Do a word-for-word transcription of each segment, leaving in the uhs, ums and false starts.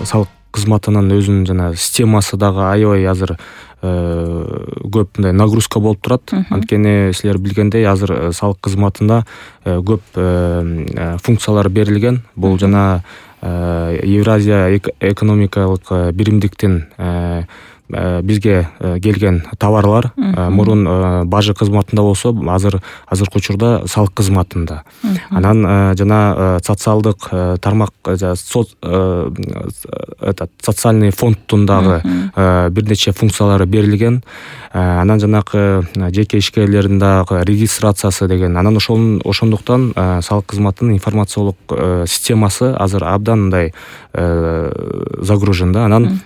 салык кызматынын өзүнүн жана системасы дагы аябай азыр көп мындай нагрузка болуп турат. Анткени силер билгендей азыр салык кызматында көп функциялар берилген. Бул жана Евразия экономикалык биримдиктин бизге келген товарлар мурун бажы кызматында болсо, азыр азыркы учурда салык кызматында. Анан жана социалдык тармак, этот социальный фонддун дагы бир нече функциялары берилген. Анан жанакы жеке ишкерлердин дагы регистрациясы деген. Анан ошол ошондуктан салык кызматынын информациялык системасы азыр абдан мындай загружен да. Анан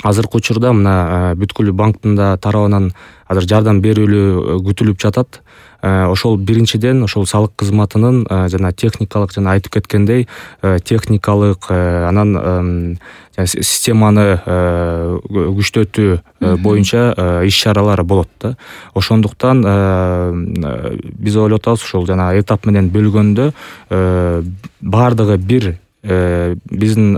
азыркы учурда мына бүткүл банктын да тарабынан азыр жардам берүүлү күтүлүп жатат. Ошол биринчиден ошол салык кызматынын жана техникалык жана айтып кеткендей техникалык анан системаны күчтөтүү боюнча иш-чаралар болот да. Ошондуктан биз ойлоп атабыз ошол жана этап менен бөлгөндө баардыгы бир биздин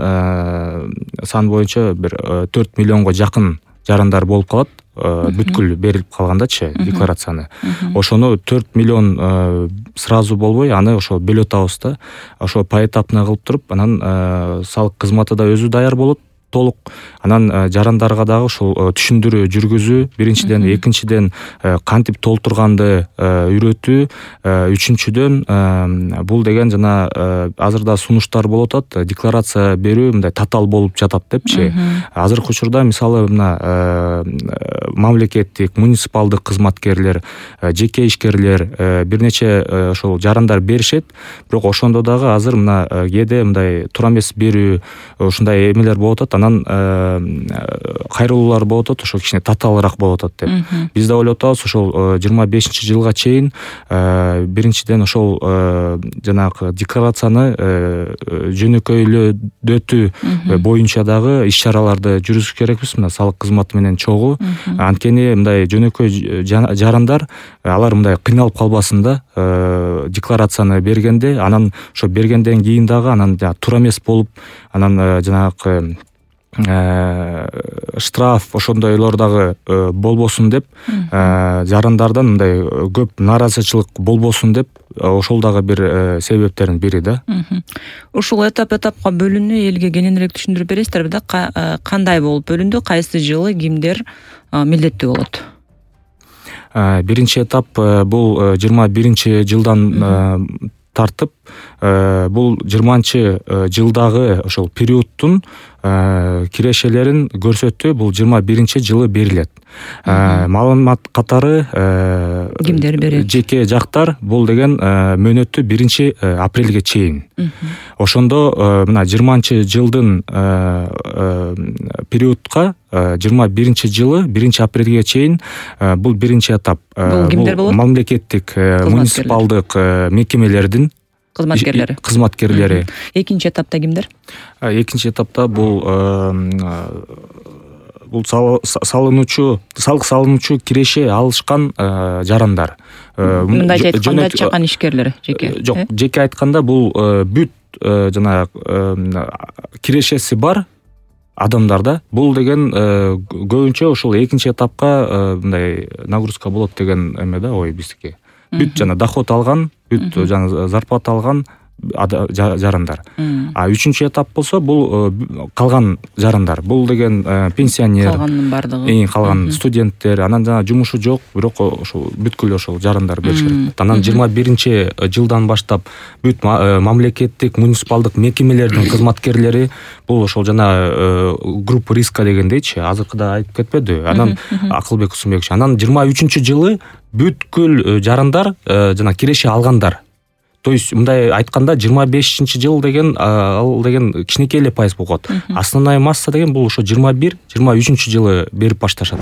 сан боюнча бир төрт миллионго жакын жарандар болуп калат. Бүткүл берилип калгандачы декларацияны. Ошону төрт миллион сразу болбой, аны ошо бөлөп атабыз да. Ошо поэтапно кылып туруп, анан салык кызматы да өзү даяр болот толук. Анан жарандарга дагы ушул түшүндүрүү жүргүзүү, биринчиден, экинчиден кантип толтурганды үйрөтүү, үчүнчүдөн бул деген жана азырда сунуштар болуп атат, декларация берүү мындай татаал болуп жатат депчи. Азыркы учурда мисалы мына мамлекеттик, муниципалдык кызматкерлер, жеке ишкерлер бир нече ошол жарандар беришет, бирок ошондо дагы азыр мына кээде мындай туура эмес берүү ушундай эмелер болуп атат. Анан кайрылуулар болуп атат, ошо кичине татаалыраак болуп атат деп. Биз да ойлоп атабыз ошол жыйырма бешинчи жылга чейин биринчиден ошол жанагы декларацияны жөнөкөйлөтүү боюнча дагы иш-чараларды жүргүзүш керекпиз мына салык кызматы менен чогуу. Анткени мындай жөнөкөй жарандар алар мындай кыйналып калбасын да, декларацияны бергенде, анан ошо бергенден кийин дагы анан туура эмес болуп, анан жанагы штраф ошондойлор дагы болбосун деп, жарандардан мындай көп наразычылык болбосун деп, ошол дагы бир себептердин бири да. Ушул этап-этапка бөлүнүү элге кененирээк түшүндүрүп бересиздерби да? Кандай болуп бөлүндү, кайсы жылы кимдер милдеттүү болот? Биринчи этап бул жыйырма биринчи жылдан тартып, бул жыйырманчы жылдагы ошол периодтун кирешелерин көрсөтүү бул жыйырма биринчи жылы берилет. Маалымат катары кимдер берет? Жеке жактар бул деген мөөнөттү биринчи апрелге чейин. Ошондо мына жыйырманчы жылдын периодка жыйырма биринчи жылы биринчи апрелге чейин бул биринчи этап. Бул кимдер болот? Мамлекеттик, муниципалдык мекемелердин кызматкерлери. Кызматкерлери. Экинчи этапта кимдер? Экинчи этапта бул бул салынуучу, салык салынуучу киреше алышкан жарандар. Мындайча айтканда чакан ишкерлер, жеке. Жок, жеке айтканда бул бүт жана кирешеси бар адамдар да. Бул деген көбүнчө ошол экинчи этапка мындай нагрузка болот деген эме да, ой биздики. Бүт жана доход алган, бүт жана зарплата алган жарандар. А үчүнчү этап болсо бул калган жарандар. Бул деген пенсионер, калганын бардыгы. Эң калган студенттер, анан жана жумушу жок, бирок ошол бүткүл ошол жарандар бериш керек. Анан жыйырма биринчи жылдан баштап бүт мамлекеттик, муниципалдык мекемелердин кызматкерлери бул ошол жана группа риска дегендейчи, азыркыда айтып кетпеди. Анан Акылбек Кусумбекович, анан жыйырма үчүнчү жылы бүткүл жарандар жана киреше алгандар. То есть мындай айтканда жыйырма бешинчи жыл деген ал деген кичинекей эле пайыз болот. Основная масса деген бул ошо жыйырма бир жыйырма үчүнчү жылы берип башташат.